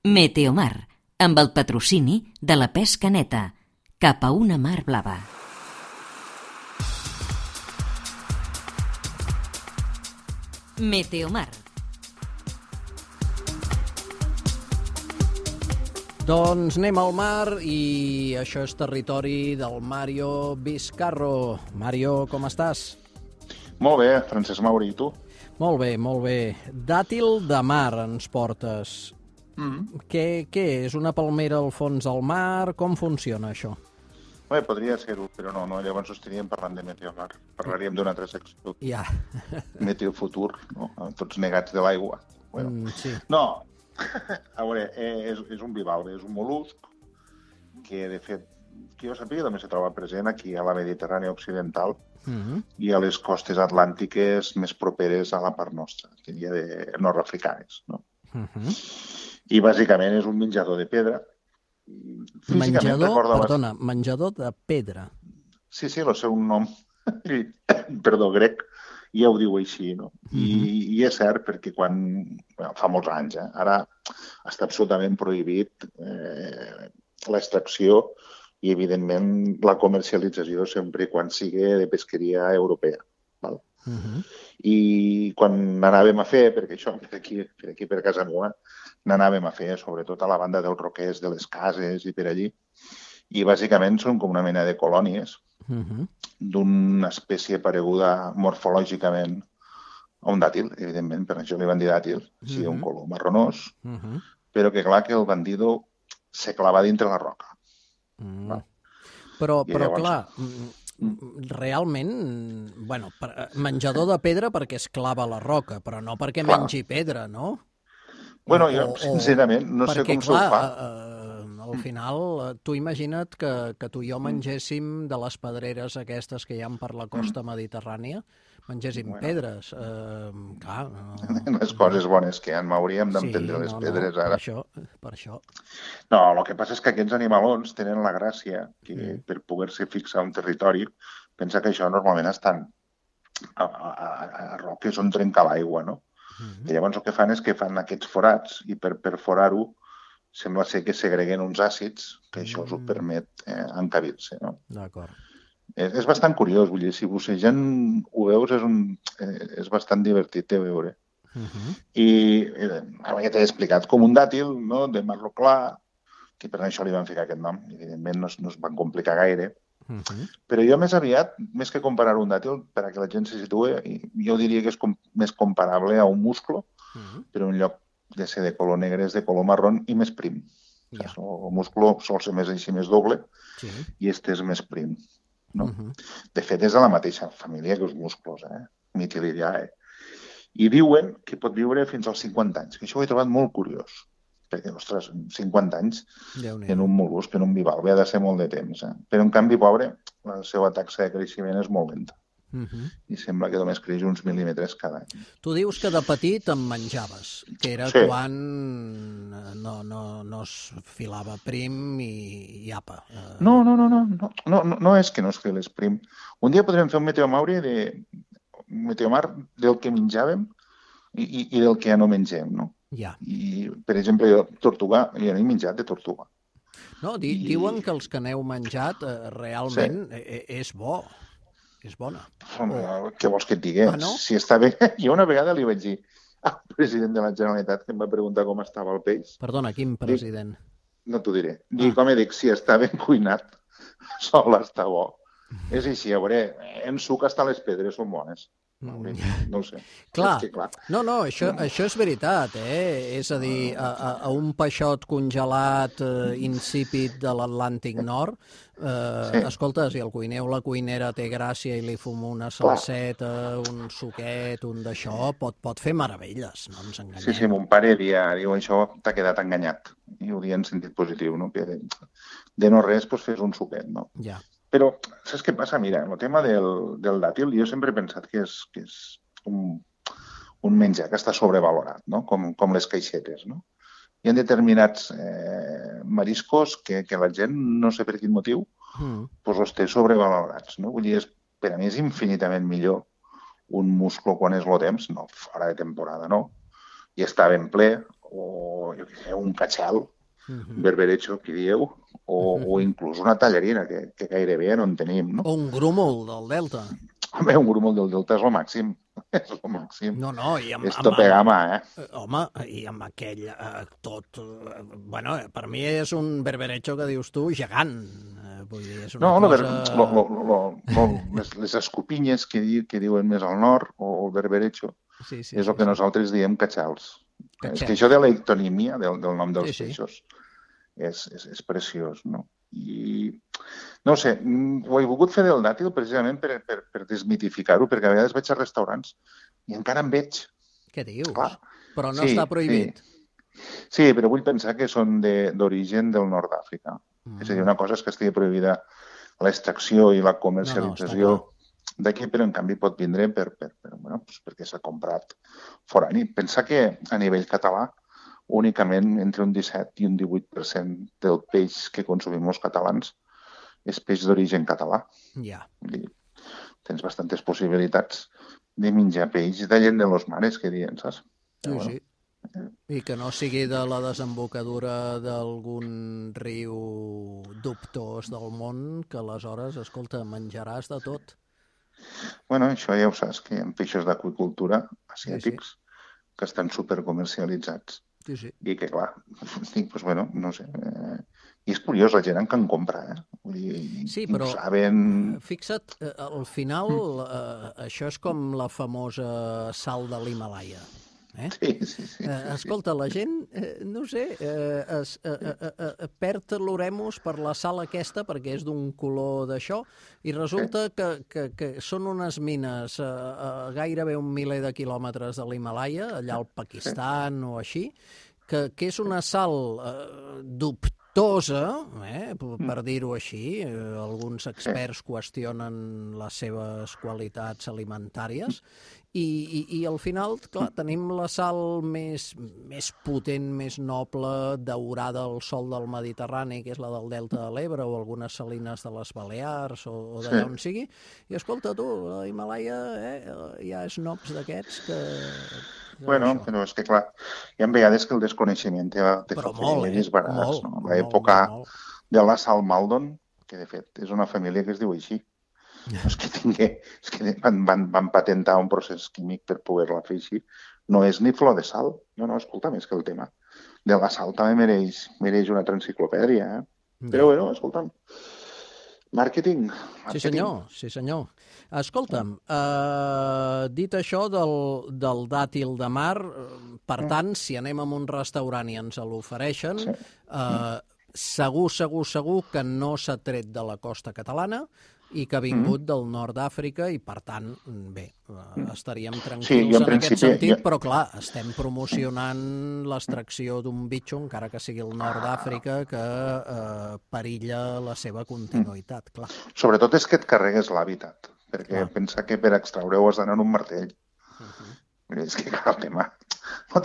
Meteomar, amb el patrocini de la pesca neta, cap a una mar blava. Meteomar. Doncs anem al mar i això és territori del Mario Vizcarro. Mario, com estàs? Molt bé, Francesc Mauri, i tu? Molt bé, molt bé. Dàtil de mar ens portes. Què és? Una palmera al fons del mar? Com funciona això? Bé, podria ser-ho, però no, llavors estaríem parlant de Meteomar. Parlaríem d'una altra secció. Ja. Meteofutur, no? Tots negats de l'aigua. Bueno. Sí. No, a veure, és un bivalve, és un mol·lusc que, de fet, que jo sàpiga també se troba present aquí a la Mediterrània Occidental i a les costes atlàntiques més properes a la part nostra, que diria de nord-africanes, no? I bàsicament és un menjador de pedra. Menjador de pedra. Sí, el seu nom, perdó, grec, ja ho diu així, no? I és cert perquè fa molts anys, ara està absolutament prohibit l'extracció i, evidentment, la comercialització sempre i quan sigui de pesqueria europea. Val? I quan n'anàvem a fer, perquè això per aquí per casa meva, n'anàvem a fer sobretot a la banda dels roquers de les cases i per allí, i bàsicament són com una mena de colònies d'una espècie pareguda morfològicament a un dàtil, evidentment, per això li van dir dàtil, sí, un color marronós, però que clar que el bandido se clava dintre la roca. Però clar, realment, menjador de pedra perquè es clava a la roca, però no perquè mengi pedra, no? Bueno, jo, sincerament, no sé com se'l fa. Al final, tu imagina't que tu i jo mengéssim de les pedreres aquestes que hi ha per la costa mediterrània, mengéssim pedres. Les coses bones que hi ha, m'hauríem d'entendre les pedres ara. Per això. No, el que passa és que aquests animalons tenen la gràcia que per poder-se fixar un territori, pensa que això normalment estan a roques on trenca l'aigua, no? I llavors el que fan és que fan aquests forats i per forar-ho sembla ser que segreguen uns àcids que això us ho permet encabir-se, no? D'acord. És bastant curiós, vull dir, si bussejant ho veus és bastant divertit de veure. I ara ja t'he explicat, com un dàtil, no?, de marró clar, que per això li van ficar aquest nom, evidentment no es van complicar gaire, però jo més aviat, més que comparar un dàtil, per a que la gent se situï, jo diria que és més comparable a un musclo, però en lloc de ser de color negre és de color marrón i més prim. El musclo sol ser més així, més doble, i este és més prim. De fet, és de la mateixa família que els musclos, Mytillidae. I diuen que pot viure fins als 50 anys, que això ho he trobat molt curiós. Perquè, ostres, 50 anys en un mol·lusc, en un bivalve, ha de ser molt de temps. Però, en canvi, pobre, la seva taxa de creixement és molt lenta. I sembla que només creix uns mil·límetres cada any. Tu dius que de petit em menjaves, que era quan no es filava prim i apa. No és que no es filés prim. Un dia podrem fer un meteomar del que menjàvem i del que ja no mengem, no? I, per exemple, jo no he menjat de tortuga. No, diuen que els que n'heu menjat realment és bo. És bona. Què vols que et digui? Si està bé, jo una vegada li vaig dir al president de la Generalitat que em va preguntar com estava el peix. Perdona, quin president? No t'ho diré. Com dic, si està ben cuinat, sol està bo. És així, a veure, en suc hasta les pedres són bones. No ho sé. Clar. No, això és veritat, És a dir, a un peixot congelat insípid de l'Atlàntic Nord, escolta, si el cuiner o la cuinera té gràcia i li fuma una salseta, un suquet, un d'això, pot fer meravelles, no ens enganyem. Sí, mon pare diu, això t'ha quedat enganyat. I ho dia en sentit positiu, no? Que de no res, fes un suquet, no? Ja. Però, saps què passa? Mira, el tema del dàtil, jo sempre he pensat que és un menjar que està sobrevalorat, no? Com les caixetes, no? Hi ha determinats mariscos que la gent, no sé per quin motiu, els té sobrevalorats, no? Vull dir, per a mi és infinitament millor un musclo quan és el temps, no fora de temporada, no? i està ben ple, o jo què sé, un catxal, berberecho, que dieu, o inclús una tallarina, que gairebé no en tenim, no? O un grúmol del Delta. Home, un grúmol del Delta és el màxim. És el màxim. No, i és tope gama, Home, i amb aquell tot... Bueno, per mi és un berberecho que dius tu gegant. Vull dir, és una cosa... Les escopinyes que diuen més al nord, o el berberecho, és el que nosaltres diem catxals. És que això de l'ectonímia, del nom dels peixos, és preciós, no? I no sé, ho he volgut fer del dàtil precisament per desmitificar-ho, perquè a vegades vaig a restaurants i encara en veig. Què dius? Clar. Però no està prohibit. Sí, però vull pensar que són d'origen del nord d'Àfrica. És a dir, una cosa és que estigui prohibida l'extracció i la comercialització d'aquí, però en canvi pot vindre perquè s'ha comprat forani. Pensa que a nivell català únicament entre un 17 i un 18% del peix que consumim els catalans és peix d'origen català. Ja. Tens bastantes possibilitats de menjar peix de llet de los mares, que diuen, saps? Sí. I que no sigui de la desembocadura d'algun riu dubtós del món, que aleshores, escolta, menjaràs de tot. Bueno, això ja ho saps, que hi ha peixos d'aquacultura asiàtics que estan supercomercialitzats. Sí. I que, clar, doncs, bueno, no sé... I és curiós, la gent que en compra, Vull dir, sí, però saben... Fixa't, al final això és com la famosa sal de l'Himàlaia. Sí. Escolta, la gent, no sé, perd l'oremus per la sal aquesta perquè és d'un color d'això i resulta que són unes mines a gairebé 1 miler de quilòmetres de l'Himàlaia, allà al Pakistan o així, que és una sal dubtosa, per dir-ho així. Alguns experts qüestionen les seves qualitats alimentàries i al final, clar, tenim la sal més potent, més noble, daurada al sol del Mediterrani, que és la del Delta de l'Ebre o algunes salines de les Balears o d'allà on sigui. I escolta, tu, a l'Himàlaia hi ha snobs d'aquests que... Bueno, però és que, clar, hi ha vegades que el desconeixement té privilegis barats. L'època de la sal Maldon, que de fet és una família que es diu així. És que van patentar un procés químic per poder-la fer així. No és ni flor de sal. No, escolta, més que el tema de la sal també mereix una transenciclopèdia, Però, bueno, escolta'm, màrqueting. Sí, senyor. Escolta'm, dit això del dàtil de mar, per tant, si anem a un restaurant i ens l'ofereixen, segur que no s'ha tret de la costa catalana i que ha vingut del nord d'Àfrica i, per tant, bé, estaríem tranquils en aquest sentit, però, clar, estem promocionant l'extracció d'un bitxo, encara que sigui el nord d'Àfrica, que perilla la seva continuïtat, clar. Sobretot és que et carregues l'hàbitat, perquè pensa que per extraure-ho has d'anar en un martell. És que, clar, el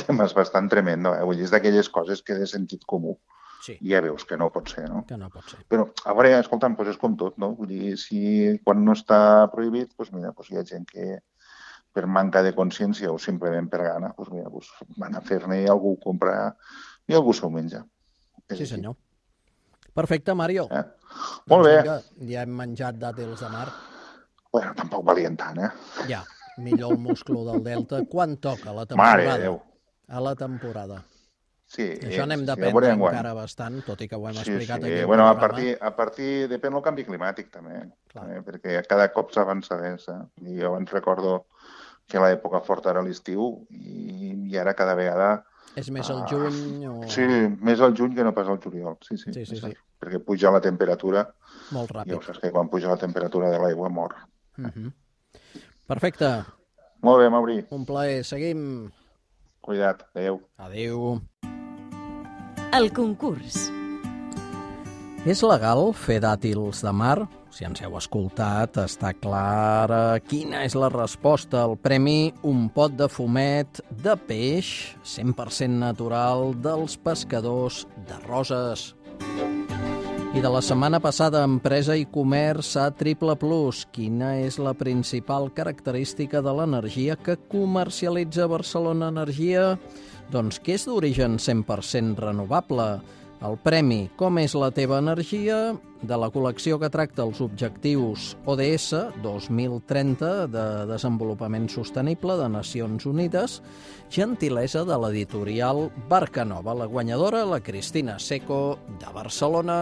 tema és bastant tremendo, Vull dir, és d'aquelles coses que de sentit comú. Sí. Ja veus que no pot ser, no? Que no pot ser. Però, a veure, escolta'm, és com tot, no? Vull dir, quan no està prohibit, mira, hi ha gent que per manca de consciència o simplement per gana, van a fer-ne i algú ho compra i algú s'ho menja. Sí, senyor. Perfecte, Mario. Molt bé. Ja hem menjat dàtils de mar. Bueno, tampoc valien tant, Ja, millor el musclo del Delta. Quan toca la temporada? Mare de Déu. A la temporada. Sí, això n'hem d'aprendre encara bastant, tot i que ho hem explicat aquí. Bueno, a partir depèn del canvi climàtic, també, perquè cada cop s'avança més. I jo ens recordo que l'època forta era l'estiu i ara cada vegada... És més al juny o...? Sí, més al juny que no pas al juliol, sí. Perquè puja la temperatura. Molt ràpid. Ja ho saps que quan puja la temperatura de l'aigua mor. Perfecte. Molt bé, Mauri. Un plaer. Seguim. Cuida't. Adéu. Adéu. El concurs. És legal fer dàtils de mar? Si ens heu escoltat, està clara quina és la resposta. El premi, un pot de fumet de peix 100% natural dels pescadors de Roses. I de la setmana passada, Empresa i Comerç a Triple Plus. Quina és la principal característica de l'energia que comercialitza Barcelona Energia? Doncs què és d'origen 100% renovable? El premi Com és la teva energia? De la col·lecció que tracta els objectius ODS 2030 de desenvolupament sostenible de Nacions Unides, gentilesa de l'editorial Barcanova. La guanyadora, la Cristina Seco, de Barcelona.